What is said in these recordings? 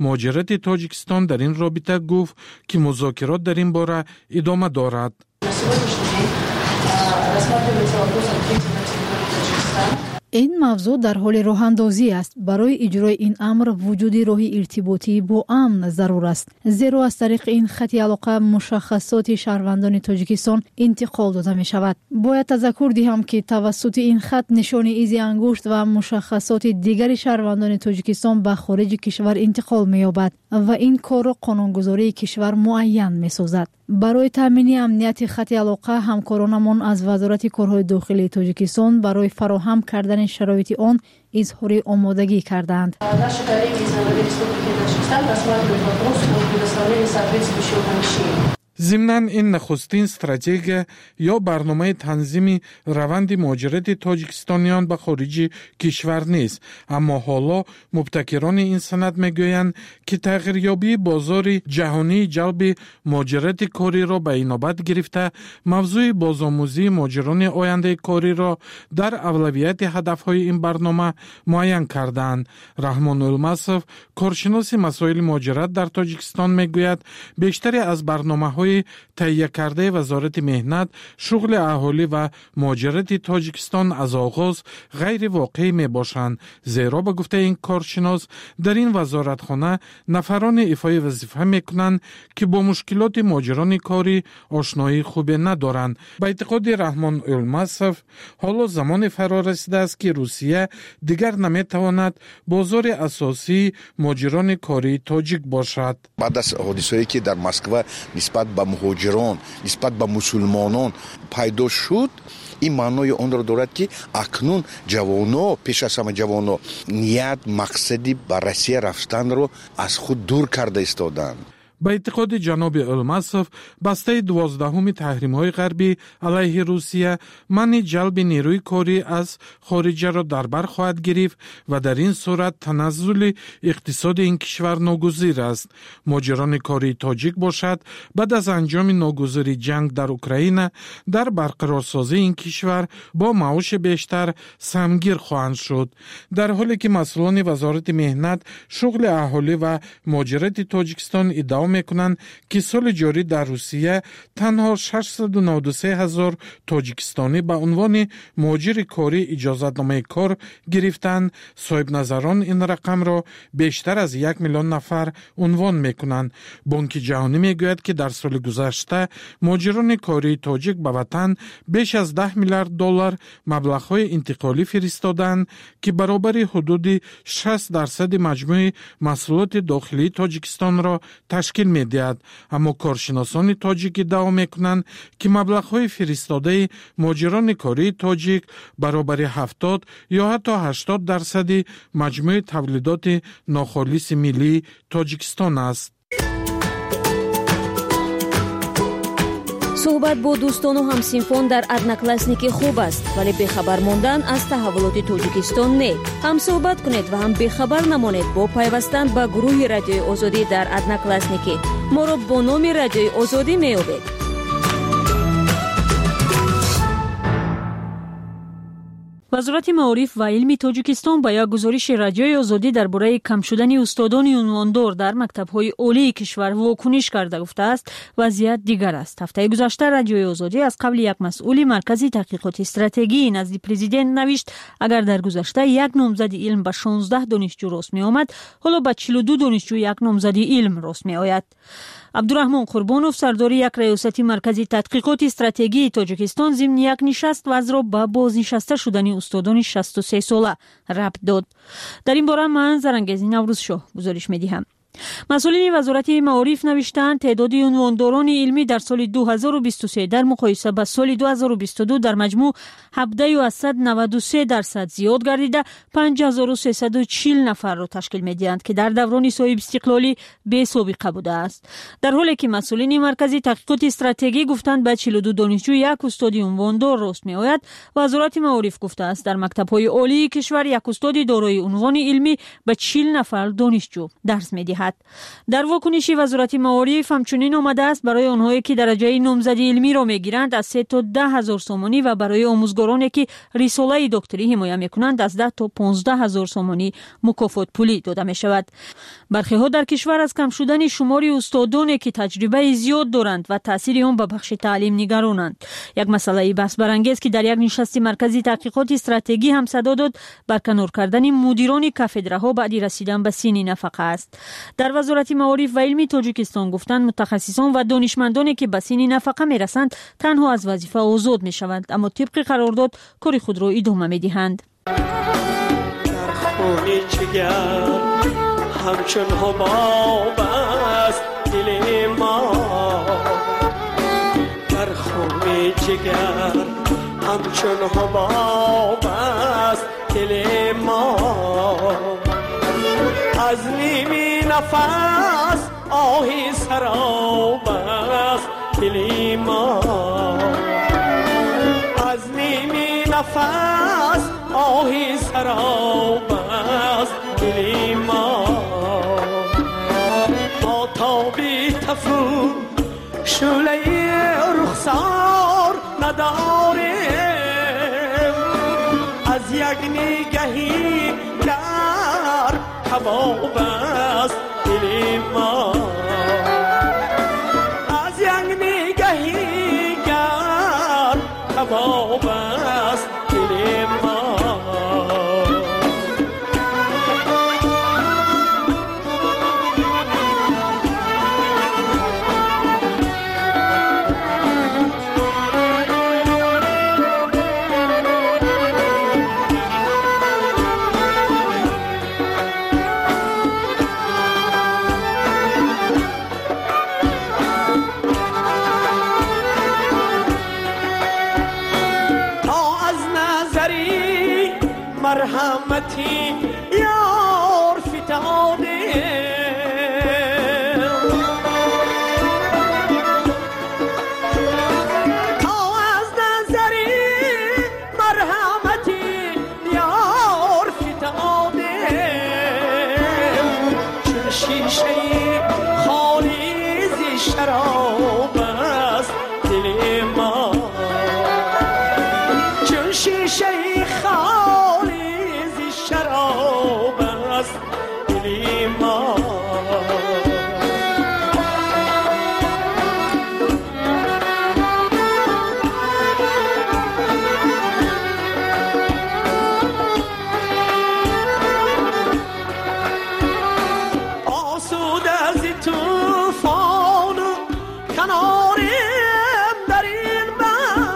муҳоҷирати Тоҷикистон дар ин робита гуфт, ки музокирот дар ин бора идома дорад. Ин мавзӯъ дар ҳоли роҳандозӣ аст. Барои иҷрои ин амр вуҷуди роҳи иртиботӣ бо амн зарур аст, зеро аз тариқи ин хати алоқа мушаххасоти шаҳрвандони Тоҷикистон интиқол дода мешавад. Бояд тазаккур диҳам, ки тавассути ин хат нишони изи ангушт ва мушаххасоти дигари шаҳрвандони Тоҷикистон ба хориҷи кишвар интиқол меёбад ва ин корро қонунгузории кишвар муайян месозад. Барои таъмини амнияти хати алоқа ҳамкоронамон аз Вазорати корҳои дохилии Тоҷикистон барои фароҳам кардани шароити он изҳори омодагӣ кардаанд. Наши коллеги из МВД Республики Таджикистан рассматривают вопрос о предоставлении соответствующего помещения. Зимнан, ин нахустин стратегия ё барномаи танзими раванди муҳоҷирати тоҷикистониён ба хориҷи кишвар нест, аммо ҳоло мубтакирони ин санад мегӯянд, ки тағйирёбии бозори ҷаҳонии ҷалби муҳоҷирати кориро ба инобат гирифта, мавзӯи бозомӯзии муҳоҷирони ояндаи кориро дар авлавияти ҳадафҳои ин барнома муайян кардаанд. Раҳмон Улмасов, коршиноси масоили муҳоҷират дар Тоҷикистон, мегӯяд, бештаре аз барномаҳои таҳиякардаи Вазорати меҳнат, шуғли аҳолӣ ва муҳоҷирати Тоҷикистон аз оғоз ғайривоқеӣ мебошанд, зеро, ба гуфтаи ин коршинос, дар ин вазоратхона нафароне ифои вазифа мекунанд, ки бо мушкилоти муҳоҷирони корӣ ошноии хубе надоранд. Ба эътиқоди Раҳмон Улмасов, ҳоло замоне фаро расидааст, ки Русия дигар наметавонад бозори асосии муҳоҷирони кории тоҷик бошад. Баъд аз ҳодисое, ки дар Москва нисбат ба муҳоҷирон, нисбат ба мусулмонон пайдо шуд, ин маънои онро дорад, ки акнун ҷавоно, пеш аз ҳама ҷавоно, ният, мақсади ба Россия рафтанро аз худ дур карда истоданд. Ба эътиқоди ҷаноби Улмасов, бастаи 12-уми таҳримҳои ғарбӣ алайҳи Русия манъи ҷалби нерӯи корӣ аз хориҷаро дар бар хоҳад гирифт ва дар ин сурат таназзули иқтисоди ин кишвар ногузир аст. Муҳоҷирони кории тоҷик бошад, баъд аз анҷоми ногузири ҷанг дар Украина дар барқарорсозии ин кишвар бо маоши бештар самгир хоҳанд шуд. Дар ҳоле ки масъулони Вазорати меҳнат, шуғли аҳолӣ ва муҳоҷирати Тоҷикистон иддао мекунанд, ки соли ҷорӣ дар Русия танҳо 693 ҳазор тоҷикистонӣ ба унвони муҳоҷири корӣ иҷозатномаи кор гирифтанд, соҳибназарон ин рақамро бештар аз 1 миллион нафар унвон мекунанд. Бонки ҷаҳонӣ мегӯяд, ки дар соли гузашта муҳоҷирони кории тоҷик ба ватан беш аз 10 миллиард доллар маблағҳои интиқолӣ фиристоданд, ки баробари ҳудуди 60 дарсади маҷмӯи маҳсулоти дохилии Тоҷикистонро ташкил медиҳад. Аммо коршиносони тоҷик иддао мекунанд, ки маблағҳои фиристодаи муҳоҷирони кории тоҷик баробари 70 ё ҳатто 80 дарсади маҷмӯи тавлидоти нохолиси миллии Тоҷикистон аст. Суҳбат бо дӯстону ҳамсинфон дар Одноклассники хуб аст, вале бехабар мондан аз таҳаввулоти Тоҷикистон не. Ҳам суҳбат кунед ва ҳам бехабар намонед бо пайвастан ба гурӯҳи Радиои Озодӣ дар Одноклассники. Моро бо номи Радиои Озодӣ меёбед. Вазорати маориф ва илми Тоҷикистон ба як гузориши Радиои Озодӣ дар бораи кам шудани устодони унвондор дар мактабҳои олии кишвар вокуниш карда, гуфтааст, вазъият дигар аст. Ҳафтаи гузашта Радиои Озодӣ аз қавли як масъули Маркази таҳқиқоти стратегии назди президент навишт, агар дар гузашта як номзади илм ба 16 донишҷӯ рост меомад, ҳоло ба 42 донишҷӯ як номзади илм рост меояд. Абдураҳмон Қурбонов, сардори як раёсати Маркази тадқиқоти стратегии Тоҷикистон, зимни як нишаст вазъро ба бознишаста шудани устодони 63 сола рабт дод. Дар ин бора ман, Зарангези Наврӯзшоҳ, гузориш медиҳам. Масъулини Вазорати маориф навиштаанд, теъдоди унвондорони илмӣ дар соли 2023 дар муқоиса ба соли 2022 дар маҷмӯъ 17,93% зиёд гардида, 5340 нафарро ташкил медиҳанд, ки дар даврони соҳибистиқлолӣ бесобиқа будааст. Дар ҳоле ки масъулини Маркази таҳқиқоти стратегӣ гуфтанд, ба 42 донишҷӯ як устоди унвондор рост меояд, Вазорати маориф гуфтааст, дар мактабҳои олии кишвар як устоди дорои унвони илмӣ ба 40 нафар донишҷӯ дарс медиҳад. медиҳад. Дар вокуниши Вазорати маориф ҳамчунин омадааст, барои онҳое ки дараҷаи номзади илмиро мегиранд аз 3 то 10 ҳазор сомонӣ ва барои омӯзгороне ки рисолаи докторӣ ҳимоя мекунанд аз 10 то 15 ҳазор сомонӣ мукофотпулӣ дода мешавад. Бархеҳо дар кишвар аз кам шудани шумори устодоне ки таҷрибаи зиёд доранд ва таъсири он ба бахши таълим нигаронанд. Як масъалаи баҳсбарангез ки дар як нишасти маркази таҳқиқоти стратегӣ ҳам садо дод, барканор кардани мудирони кафедраҳо баъди расидан ба синни нафақа аст. Дар Вазорати маориф ва илми Тоҷикистон гуфтанд, мутахассисон ва донишмандоне ки ба синни нафақа мерасанд танҳо аз вазифа озод мешаванд, аммо тибқи қарордод кори худро идома медиҳанд. Ҳамчун ҳубоб аст дили мо, дар хуни ҷигар ҳамчун ҳубоб аст дили мо. Аз ними нафас оҳи сароб аст дили мо, аз ними нафас оҳи сароб аст дили мо. Бо тоби тафу шӯълаи рухсор надорем, аз як нигаҳи гарм кабоб аст дили мо, аз як нигаҳи гарм кабоб аст дили мо. مرحمتی یار فتاده، تا از نظری مرحمتی یار فتاده، چون شیشه خالی ز شراب است دل ما، چون شیشه شراب است دل ما. آسوده از طوفان و کناریم در این بحر،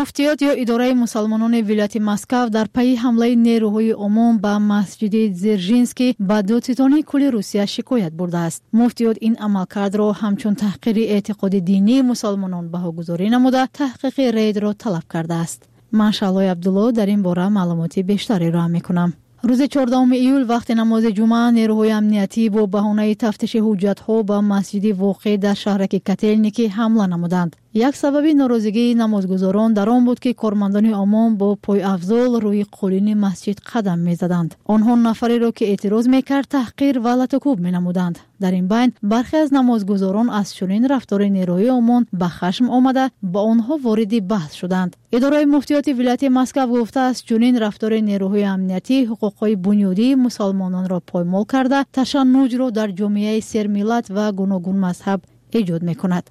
Муфтиёт ё идораи мусалмонони вилояти Москав дар пайи ҳамлаи нерӯҳои ОМОН ба масҷиди Дзержинский ба додситонии кулли Русия шикоят бурдааст. Муфтиёт ин амалкардро ҳамчун таҳқири эътиқоди динии мусалмонон баҳогузорӣ намуда, таҳқиқи рейдро талаб кардааст. Ман Шаҳлои Абдулло дар ин бора маълумоти бештар ироа мекунам. Рӯзи 14 июл вақти намози ҷумъа нерӯҳои амниятӣ бо баҳонаи тафтиши ҳуҷҷатҳо ба масҷиди воқеъ дар шаҳраки Котелники ҳамла намуданд. Як сабаби норозигии намозгузорон дар он буд, ки кормандони ОМОН бо пойафзол рӯи қолини масҷид қадам мезаданд. Онҳо нафареро, ки эътироз мекард, таҳқир ва латукӯб менамуданд. Дар ин байн бархе аз намозгузорон аз чунин рафтори нерӯи ОМОН ба хашм омада, ба онҳо вориди баҳс шуданд. Идораи муфтиёти вилояти Москав гуфтааст, чунин рафтори нерӯҳои амниятӣ ҳуқуқҳои бунёдии мусалмононро поймол карда, ташаннуҷро дар ҷомеаи сермиллат ва гуногунмазҳаб эҷод мекунад.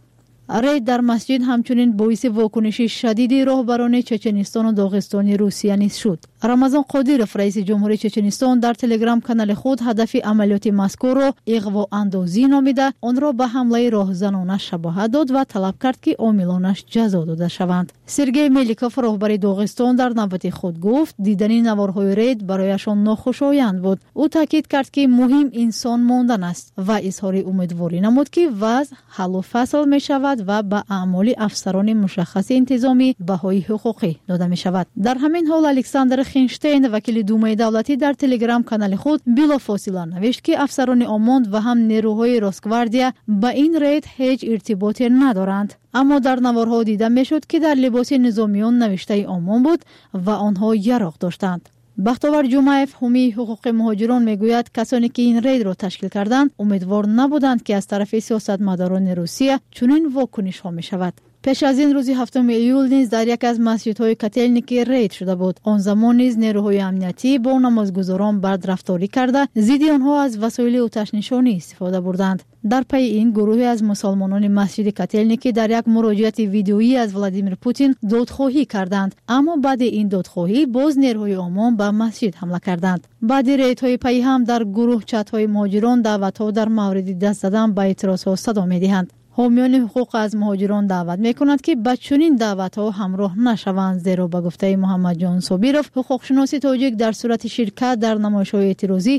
Рейд дар масҷид ҳамчунин боиси вокуниши шадиди роҳбарони Чеченистону Доғистони Русия низ шуд. Рамазон Қодиров, раиси ҷумҳури Чеченистон, дар телеграм-канали худ ҳадафи амалиёти мазкурро иғвоандозӣ номида, онро ба ҳамлаи роҳзанона шабоҳат дод ва талаб кард, ки омилонаш ҷазо дода шаванд. Сергей Меликов, роҳбари Доғистон, дар навбати худ гуфт, дидани наворҳои рейд барояшон нохушоянд буд. Ӯ таъкид кард, ки муҳим инсон мондан аст ва изҳори умедворӣ намуд, ки вазъ ҳаллу фасл мешавад ва ба аъмоли афсарони мушаххаси интизомӣ баҳои ҳуқуқӣ дода мешавад. Дар ҳамин ҳол Александр Хинштейн, вакили Думаи давлатӣ, дар телеграм-канали худ билофосила навишт, ки афсарони ОМОН ва ҳам нерӯҳои Росгвардия ба ин рейд ҳеҷ иртиботе надоранд. Аммо дар наворҳо дида мешуд, ки дар либоси низомиён навиштаи ОМОН буд ва онҳо яроқ доштанд. Бахтовар Ҷумаев, ҳомии ҳуқуқи муҳоҷирон, мегӯяд, касоне ки ин рейдро ташкил карданд, умедвор набуданд, ки аз тарафи сиёсатмадорони Русия чунин вокунишҳо мешавад. Пеш аз ин рӯзи 7 июл низ дар яке аз масҷидҳои Котелники рейд шуда буд. Он замон низ нерӯҳои амниятӣ бо намозгузорон бадрафторӣ карда, зидди онҳо аз васоили оташнишонӣ истифода бурданд. Дар пайи ин гурӯҳе аз мусалмонони масҷиди Котелники дар як муроҷиати видеоӣ аз Владимир Путин додхоҳӣ карданд. Аммо баъди ин додхоҳӣ боз нерӯҳои ОМОН ба масҷид ҳамла карданд. Баъди рейдҳои пайҳам дар гурӯҳ чатҳои муҳоҷирон даъватҳо дар мавриди даст задан ба эътирозҳо садо медиҳанд. Ҳомиёни ҳуқуқ аз муҳоҷирон даъват мекунанд, ки ба чунин даъватҳо ҳамроҳ нашаванд, зеро ба гуфтаи Муҳаммадҷон Собиров, ҳуқуқшиноси тоҷик, дар сурати ширкат дар намоишҳои эътирозӣ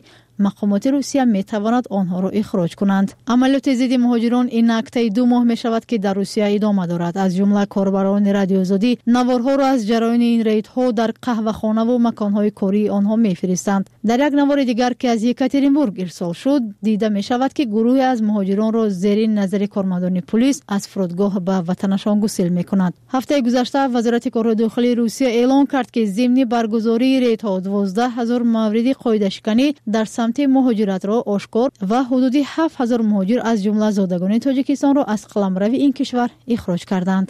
мақомоти Русия метавонад онҳоро ихроҷ кунанд. Амалиёти зидди муҳоҷирон ин актаи 2 моҳ мешавад, ки дар Русия идома дорад. Аз ҷумла корбарони Радиои Озодӣ наворҳоро аз ҷараёни ин рейдҳо дар қаҳвахонаву маконҳои кории онҳо мефиристанд. Дар як навори дигар, ки аз Екатеринбург ирсол шуд, дида мешавад, ки гурӯҳе аз муҳоҷиронро зери назари кормандони пулис аз фурудгоҳ ба ватанашон гусел мекунанд. Ҳафтаи гузашта Вазорати корҳои дохилии Русия эълон кард, ки зимни баргузории рейдҳо 12 ҳазор мавриди қоидашиканӣ дар самти муҳоҷиратро ошкор ва ҳудуди 7 ҳазор муҳоҷир, аз ҷумла зодагони Тоҷикистонро аз қаламрави ин кишвар ихроҷ карданд.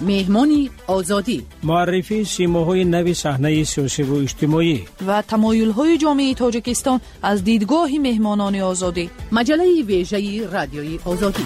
Меҳмони Озодӣ: муаррифии симоҳои нави саҳнаи сиёсиву иҷтимоӣ ва тамоюлҳои ҷомеаи Тоҷикистон аз дидгоҳи меҳмонони Озодӣ. Маҷаллаи вежаи Радиои Озодӣ.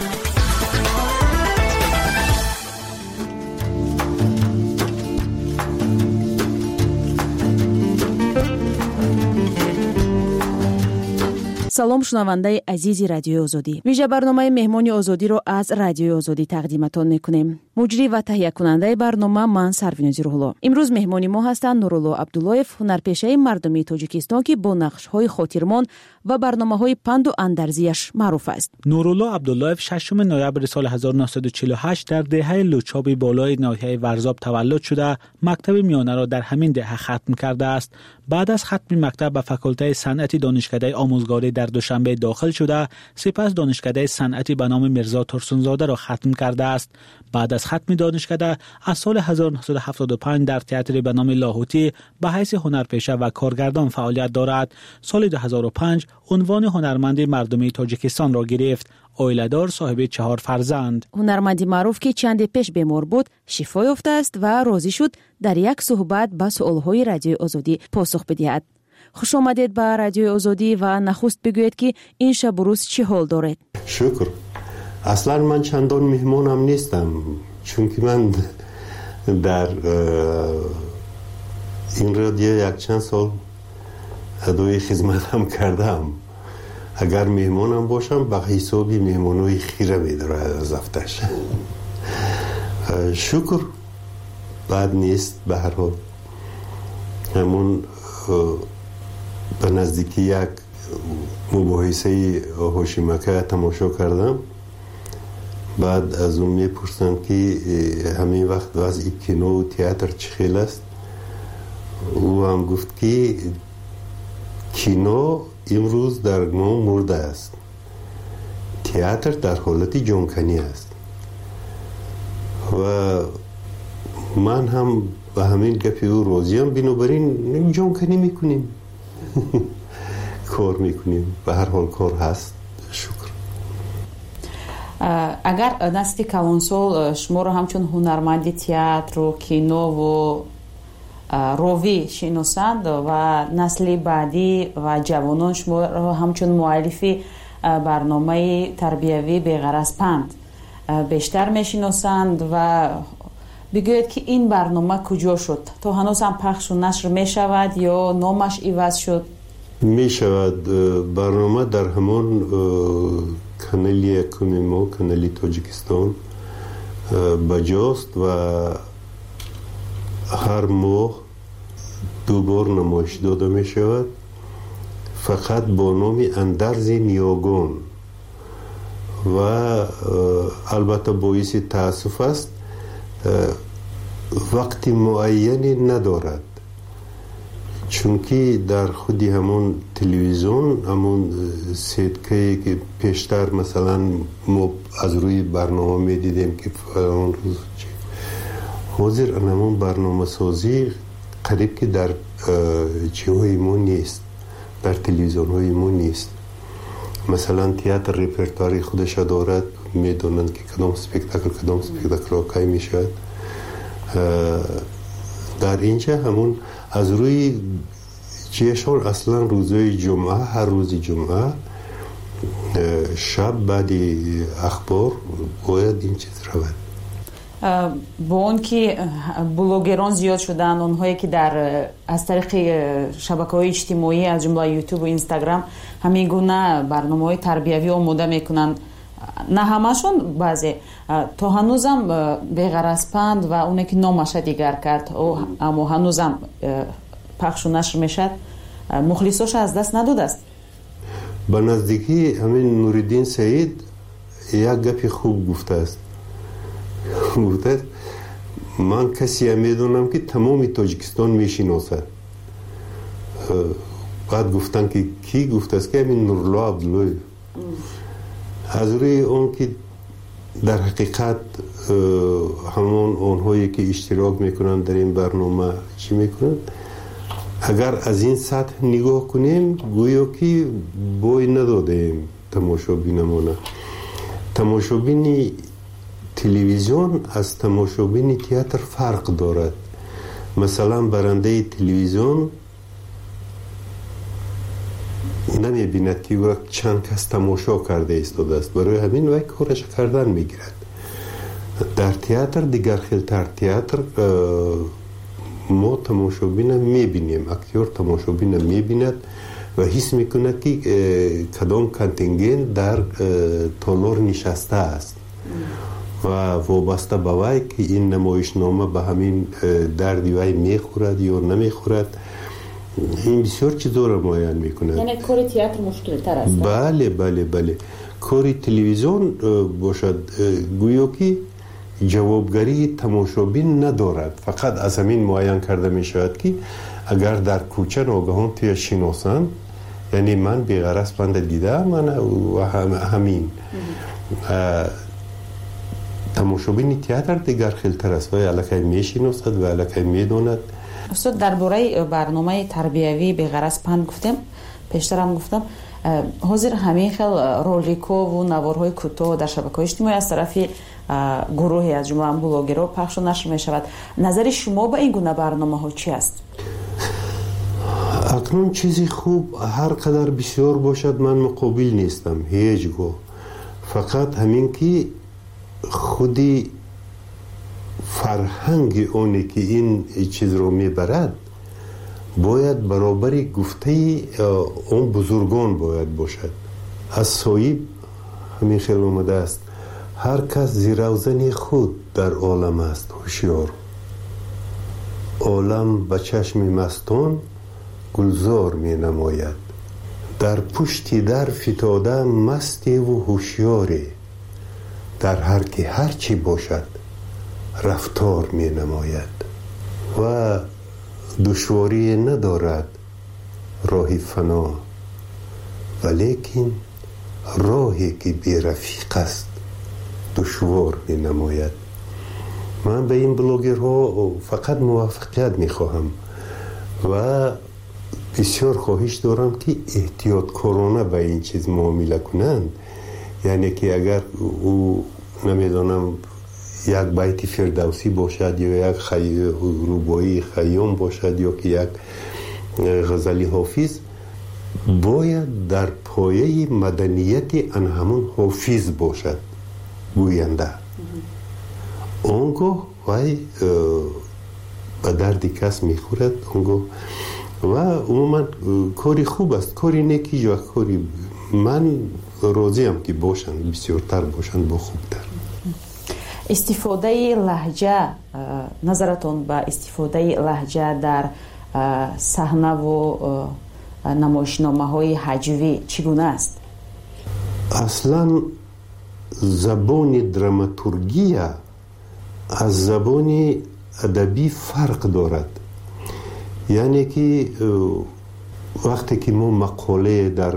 Салом, шунавандаи азизи Радиои Озодӣ. Вижа барномаи Меҳмони Озодиро аз Радиои Озодӣ тақдиматон мекунем. Муҷрӣ ва таҳиякунандаи барнома ман Сарвинози Рӯҳулло. Имрӯз меҳмони мо ҳастанд Нурулло Абдуллоев, ҳунарпешаи мардумии Тоҷикистон, ки бо нақшҳои хотирмон ва барномаҳои панду андарзияш маъруф аст. Нурулло Абдуллоев 6 ноябри соли 1948 дар деҳаи Лучоби болои ноҳияи Варзоб таваллуд шуда, мактаби миёнаро дар ҳамин деҳа хатм кардааст. Баъд аз хатми мактаб ба факултаи санъати Донишкадаи омӯзгорӣ дар Душанбе дохил шуда, сипас Донишкадаи санъати ба номи Мирзо Турсунзодаро хатм кардааст. Баъд аз хатми донишкада аз соли 1975 дар театри ба номи Лоҳутӣ ба ҳайси ҳунарпеша ва коргардон фаъолият дорад. Соли 2005 унвони ҳунарманди мардумии Тоҷикистонро гирифт. Оиладор, соҳиби 4 фарзанд. Ҳунарманди маъруф, ки чанде пеш бемор буд, шифо ёфтааст ва розӣ шуд дар як суҳбат ба суолҳои Радиои Озодӣ посух бидиҳад. Хуш омадед ба Радиои Озодӣ ва нахуст бигӯед, ки ин шабу рӯз чӣ ҳол доред? Шукр. Аслан ман чандон меҳмонам нестам, чунки ман дар ин радио якчанд сол адои хизматам кардам. Агар меҳмонам бошам, ба ҳисоби меҳмонҳои хира медорад аз афташ. Шукр, бад нест. Ба ҳар ҳол ҳамон ба наздикӣ як мубоҳисаи Ҳошимака тамошо кардам. Баъд аз ӯ мепурсанд, ки ҳамин вақт вазъи кинову театр чӣ хел аст. Ӯ ҳам гуфт, ки кино имрӯз дар мо мурда аст, театр дар ҳолати ҷонканӣ аст. Ва ман ҳам ба ҳамин гапи ӯ розиям. Бинобар ин ҷонканӣ мекунем, кор мекунем. Ба ҳар ҳол кор ҳаст, шукр. Агар насли калонсол шуморо ҳамчун ҳунарманди театру кинову ровӣ шиносанд ва насли баъдӣ ва ҷавонон шуморо ҳамчун муаллифи барномаи тарбиявӣ «Беғараз панд» бештар мешиносанд, ва бигӯед, ки ин барнома куҷо шуд? То ҳанӯз ҳам пахшу нашр мешавад ё номаш иваз шуд? Мешавад. Барнома дар ҳамон канали якуми мо, канали Тоҷикистон, Баҷост ва ҳар моҳ ду бор намоиш дода мешавад, фақат бо номи Андарзи ниёгон. Ва албатта боиси таассуф аст, вақти муайяне надорад, чунки дар худи ҳамон телевизион, ҳамон сеткае ки пештар масалан мо аз рӯи барнома медидем ки фалон рӯз, ҳозир ҳамон барномасозӣ қариб ки дар чиҳои мо нест, дар телевизионҳои мо нест. Масалан, театр репертуари худаша дорад, медонанд ки кадом спектакл, кадом спектаклҳо кай мешавад. Дар инҷа ҳамон аз рӯи чиешон, аслан рӯзои ҷумъа, ҳар рӯзи ҷумъа шаб баъди ахбор бояд ин чиз равад. Бо он ки блогерон зиёд шуданд, онҳое ки дар аз тариқи шабакаҳои иҷтимоӣ, аз ҷумла ютубу инстаграм, ҳамин гуна барномаҳои тарбиявӣ омода мекунанд, на ҳамашон, баъзе то ҳанӯзам Беғаразпанд ва оне ки номаша дигар кард, аммо ҳанӯзам пахшу нашр мешавад, мухлисоша аз даст надодааст. Ба наздикӣ ҳамин Нуриддин Саид як гапи хуб гуфтааст. Гуфтааст, ман касея медонам, ки тамоми Тоҷикистон мешиносад. Баъд гуфтанд, ки кӣ? Гуфтааст, ки ҳамин Нурулло Абдуллоев. Аз рӯи он ки дар ҳақиқат ҳамон онҳое ки иштирок мекунанд дар ин барнома, чӣ мекунанд, агар аз ин сатҳ нигоҳ кунем, гӯё ки бой надодаем тамошобинамона. Тамошобини телевизион аз тамошобини театр фарқ дорад. Масалан, барандаи телевизион намебинад, ки чанд кас тамошо карда истодааст, барои ҳамин вай кораша кардан мегирад. Дар театр дигар хелтар. Театр мо тамошобина мебинем, актёр тамошобина мебинад ва ҳис мекунад, ки кадом контингент дар толор нишастааст ва вобаста ба вай, ки ин намоишнома ба ҳамин дарди вай мехӯрад ё намехӯрад, ин бисёр чизоро муайян мекунад. Яъне кори театр мушкилтар аст? Бале, кори телевизион бошад, гӯё ки ҷавобгарии тамошобин надорад. Фақат аз ҳамин муайян карда мешавад, ки агар дар кӯча ногаҳон туя шиносанд, яъне ман Беғараз панда дидаам ҳамин. Тамошобини театр дигар хелтар аст, вай аллакай мешиносад ва аллакай медонад. Устод, дар бораи барномаи тарбиявии Беғараз панд гуфтем, пештарам гуфтам, ҳозир ҳамин хел роликову наворҳои кӯтоҳ дар шабакаҳои иҷтимоӣ аз тарафи гурӯҳе, аз ҷумла блогерҳо, пахшу нашр мешавад. Назари шумо ба ин гуна барномаҳо чи аст? Акнун чизи хуб ҳар қадар бисёр бошад, ман муқобил нестам ҳеҷ гоҳ. Фақат ҳамин ки худи фарҳанги оне ки ин чизро мебарад, бояд баробари гуфтаи он бузургон бояд бошад. Аз соҳиб ҳамин хел омадааст: ҳар кас зиравзани худ дар олам аст ҳушёр, олам ба чашми мастон гулзор менамояд, дар пушти дар фитода мастеву ҳушёре, дар ҳар ки ҳар чӣ бошад рафтор менамояд. Ва душворие надорад роҳи фано, валекин роҳе ки берафиқ аст душвор менамояд. Ман ба ин блогерҳо фақат муваффақият мехоҳам ва бисёр хоҳиш дорам, ки эҳтиёткорона ба ин чиз муомила кунанд. Яъне ки агар ӯ, намедонам, як байти Фирдавсӣ бошад ё як рубоии Хайём бошад ё ки як ғазали Ҳофиз, бояд дар пояи маданияти ан ҳамон Ҳофиз бошад гӯянда. Он гоҳ вай ба дарди кас мехӯрад. Он гоҳ ва умуман кори хуб аст, кори нек ҳеҷ вақт кори, ман розиам, ки бошанд, бисёртар бошанд, бо хубтар. Истифодаи лаҳҷа, назаратон ба истифодаи лаҳҷа дар саҳнаву намоишномаҳои ҳаҷвӣ чӣ гуна аст? Аслан забони драматургия аз забони адабӣ фарқ дорад. Яъне ки вақте ки мо мақолае дар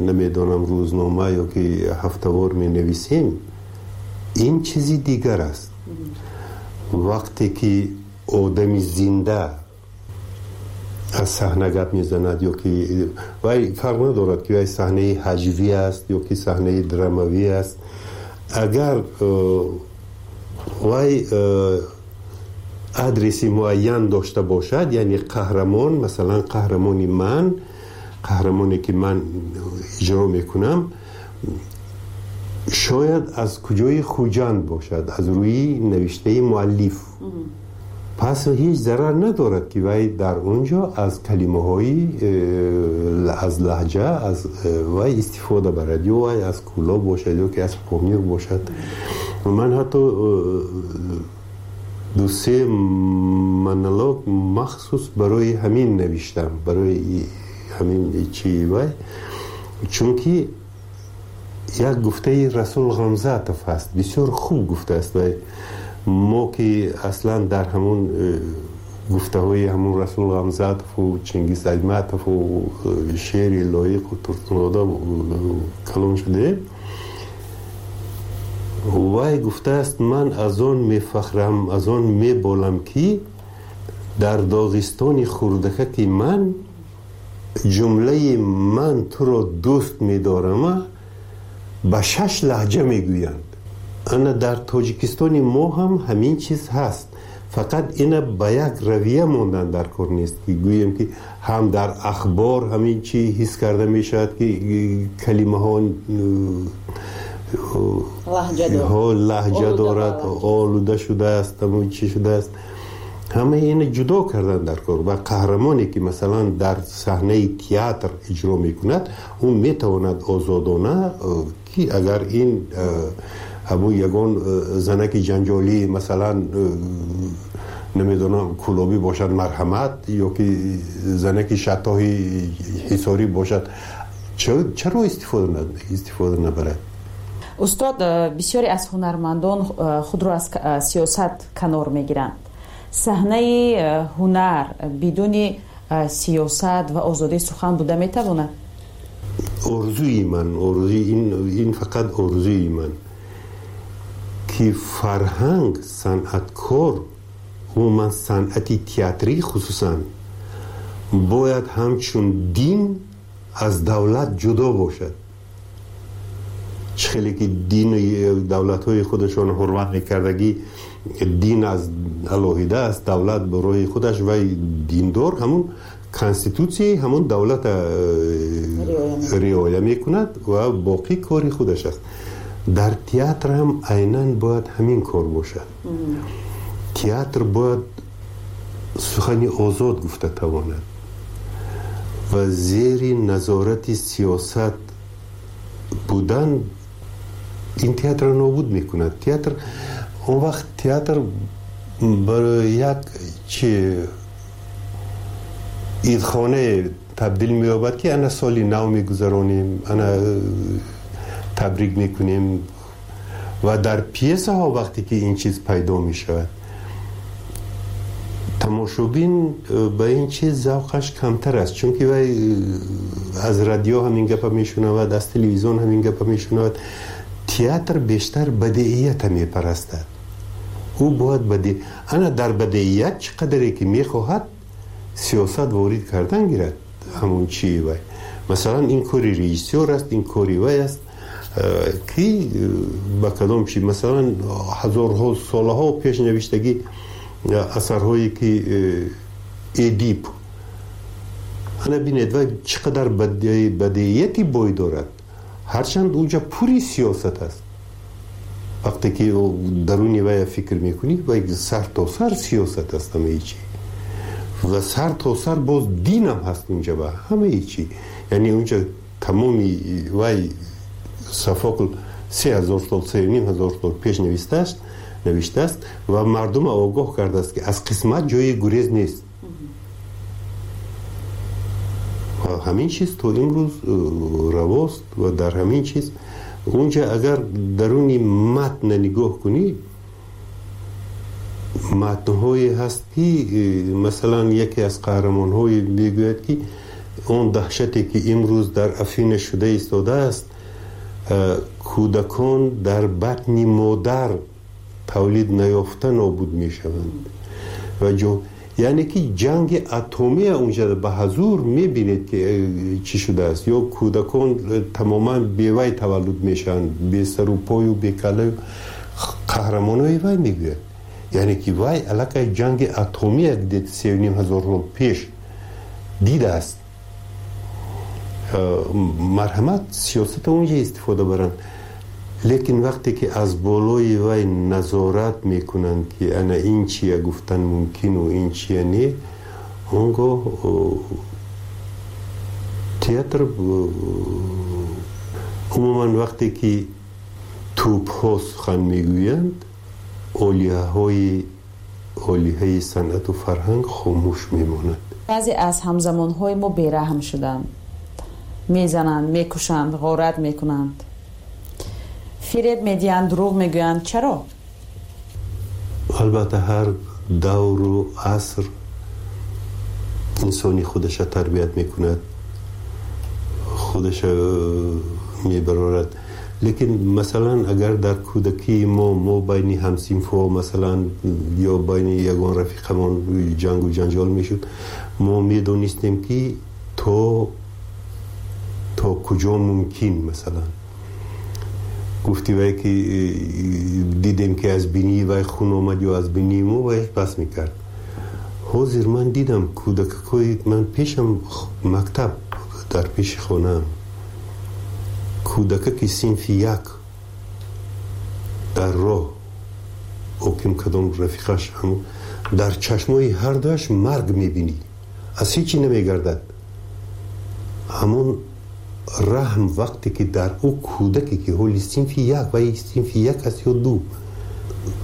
намедонам рӯзнома ё ки ҳафтавор менависем, ин чизи дигар аст. Вақте ки одами зинда аз саҳна гап мезанад ё ки вай фарқ надорад ки вай саҳнаи ҳаҷвӣ аст ё ки саҳнаи драмавӣ аст, агар вай адреси муайян дошта бошад, яъне қаҳрамон, масалан қаҳрамони ман, қаҳрамоне ки ман иҷро мекунам, шояд аз куҷои Хуҷанд бошад, аз рӯи навиштаи муаллиф, пас ҳеҷ зарар надорад ки вай дар он ҷо аз калимаҳои аз лаҳҷа аз вай истифода барад, ё вай аз Кӯлоб бошад ё ки аз Помир бошад. Ман ҳатто ду-се монолог махсус барои ҳамин навиштам, барои ҳамин чи вай, чунки як гуфтаи Расул Ғамзатов ҳаст, бисёр хуб гуфтааст вай. Мо ки аслан дар ҳамун гуфтаҳои ҳамун Расул Ғамзатову Чингиз Айтматову Шери Лоиқу Турсунзода калон шудаем, вай гуфтааст: ман аз он мефахрам, аз он меболам, ки дар Доғистони хурдакаки ман ҷумлаи ман туро дӯст медорама ба 6 лаҳҷа мегӯянд. Ана дар Тоҷикистони мо ҳам ҳамин чиз ҳаст, фақат ина ба як равия мондан дар кор нест, ки гӯем ки ҳам дар ахбор ҳамин чи ҳис карда мешавад, ки калимаҳо лаҳҷа дорад, олуда шудааст, ҳамон чи шудааст. Ҳамаи ина ҷудо кардан дар кор. Ва қаҳрамоне ки масалан дар саҳнаи театр иҷро мекунад, ӯ метавонад озодона, ки агар ин ҳамун ягон занаки ҷанҷолӣ масалан намедонам кӯлобӣ бошад, марҳамат, ё ки занаки шаттоҳи ҳисорӣ бошад, чаро истифода набарад? Устод, бисёре аз ҳунармандон худро аз сиёсат канор мегиранд. Саҳнаи ҳунар бидуни сиёсат ва озодии сухан буда метавонад? Орзуи ман, орзуи ин фақат орзуи ман, ки фарҳанг, санъаткор, умуман санъати театрӣ хусусан, бояд ҳамчун дин аз давлат ҷудо бошад. Чӣ хеле ки дини давлатҳои худашон ҳурмат мекардагӣ, дин аз алоҳида аст, давлат ба роҳи худаш, вай диндор ҳамун конститутсияи ҳамун давлата риоя мекунад ва боқӣ кори худаш аст. Дар театр ҳам айнан бояд ҳамин кор бошад. Театр бояд сухани озод гуфта тавонад ва зери назорати сиёсат будан ин театрро нобуд мекунад. Театр он вақт театр барои як чи идхонае табдил меёбад, ки ана соли нав мегузаронем, ана табрик мекунем. Ва дар пьесаҳо вақте ки ин чиз пайдо мешавад, тамошобин ба ин чиз завқаш камтар аст, чунки вай аз радио ҳамин гапа мешунавад, аз телевизион ҳамин гапа мешунавад. Театр бештар бадеията мепарастад. Ӯ бояд ана дар бадеият чӣ қадаре ки мехоҳад сиёсат ворид кардан гирад, ҳамон чии вай. Масалан, ин кори режиссёр аст, ин кори вай аст, ки ба кадом чи, масалан, ҳазорҳо солаҳо пеш навиштагӣ асарҳое ки Эдип, ана бинед вай чӣ қадар бадеияти бой дорад, ҳарчанд унҷа пури сиёсат аст. Вақте ки даруни вая фикр мекунӣ, вай сар то сар сиёсат аст ҳамаи чи, ва сар то сар боз динам ҳаст унҷа ба ҳамаи чи. Яъне унҷа тамоми вай Софокл 3000 сол, 3500 сол пеш навистааст. Навиштааст ва мардумро огоҳ кардааст, ки аз қисмат ҷои гурез нест. Ва ҳамин чиз то имрӯз равост. Ва дар ҳамин чиз унҷа агар даруни матна нигоҳ кунӣ, матнҳое ҳаст, ки масалан яке аз қаҳрамонҳое мегӯяд, ки он даҳшате, ки имрӯз дар Афина шуда истодааст, кӯдакон дар батни модар тавлид наёфта нобуд мешаванд. Ва яъне ки ҷанги атомия унҷа ба ҳазур мебинед, ки чӣ шудааст, ё кӯдакон тамоман бевай таваллуд мешаванд, бесару пою бекалаю. Қаҳрамонои вай мегӯяд, яъне ки вай аллакай ҷанги атомия 3,5 ҳазор сол пеш дидааст. Марҳамат, сиёсата унҷа истифода баранд, лекин вақте ки аз болои вай назорат мекунанд, ки ана ин чия гуфтан мумкину ин чия не, он гоҳ театр умуман, вақте ки тӯбҳо сухан мегӯянд, олиҳаҳои олиҳаи санъату фарҳанг хомӯш мемонад. Баъзе аз ҳамзамонҳои мо бераҳм шуданд, мезананд, мекушанд, ғорат мекунанд, фиреб медиҳанд, дурӯғ мегӯянд. Чаро? Албатта, ҳар давру аср инсони худаша тарбият мекунад, худаша мебарорад. Лекин масалан агар дар кӯдакии мо байни ҳамсинфҳо масалан ё байни ягон рафиқамон ҷангу ҷанҷол мешуд, мо медонистем, ки то куҷо мумкин. Масалан, гуфти вай, ки дидем, ки аз бинии вай хун омад ё аз бинии мо, вай бас мекард. Ҳозир ман дидам, кӯдакакҳои ман пешам, мактаб дар пеши хонаам, кӯдакаки синфи як дар роҳ оким кадом рафиқаш, дар чашмои ҳардуаш марг мебинӣ, аз ҳечи намегардад. Ҳамон раҳм вақте ки дар ӯ кӯдаке, ки ҳоли синфи як, вай синфи як аст ё ду,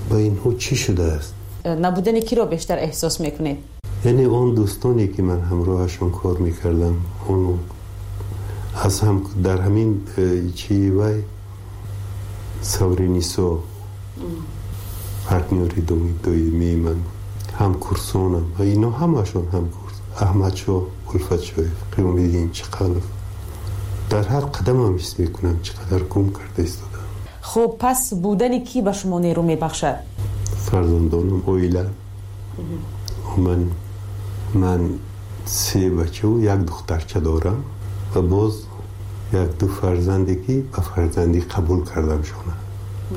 ба инҳо чӣ шудааст? Набудани киро бештар эҳсос мекунед? Яъне он дӯстоне, ки ман ҳамроҳашон кор мекардам, он аз ҳам дар ҳамин чи вай Савринисо партнёри доимии ман, ҳамкурсонам ва ино ҳамашон ҳамкурс, Аҳмадшоҳ Улфатшоев, Қиёмиддин Чиқалов, дар ҳар қадамам ҳис мекунам, чӣ қадар гум карда истодам. Хуб, пас будани кӣ ба шумо нерӯ мебахшад? Фарзандонам, оила. Ман се бачаву як духтарча дорам ва боз як-ду фарзанде, ки ба фарзандӣ қабул кардам шона,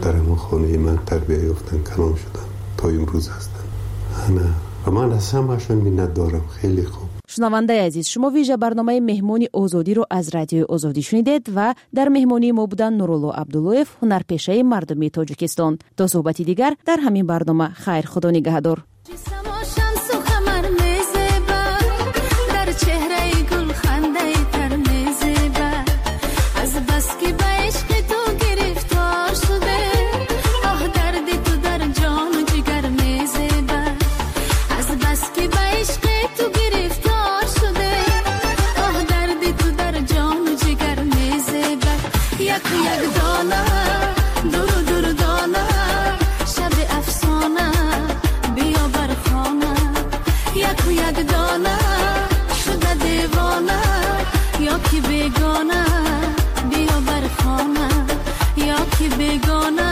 дар ҳамон хонаи ман тарбия ёфтан, калон шуданд, то имрӯз ҳастанд. Ана, ва ман аз ҳамаашон миннат дорам, хеле хуб. Шунавандаи азиз, шумо вижа барномаи «Меҳмони Озодиро» аз Радиои Озодӣ шунидед ва дар меҳмонии мо буданд Нурулло Абдуллоев, ҳунарпешаи мардумии Тоҷикистон. То суҳбати дигар дар ҳамин барнома, хайр, Худо нигаҳдор. Дар чеҳраи гулхандаи тар мезеба, аз баски ба ишқи ту гирифтор шуде, оҳ, дарди ту дар ҷону ҷигар мезеба. Аз баски ба ишқи ту гирифтор шуде, оҳ, дарди ту дар ҷону ҷигар мезеба. Яку як дона, дуру дур дона, шаби афсона, биё бар хона. Яку як дона, шуда девона ё ки бегона, биё бар хона, ё ки бегона.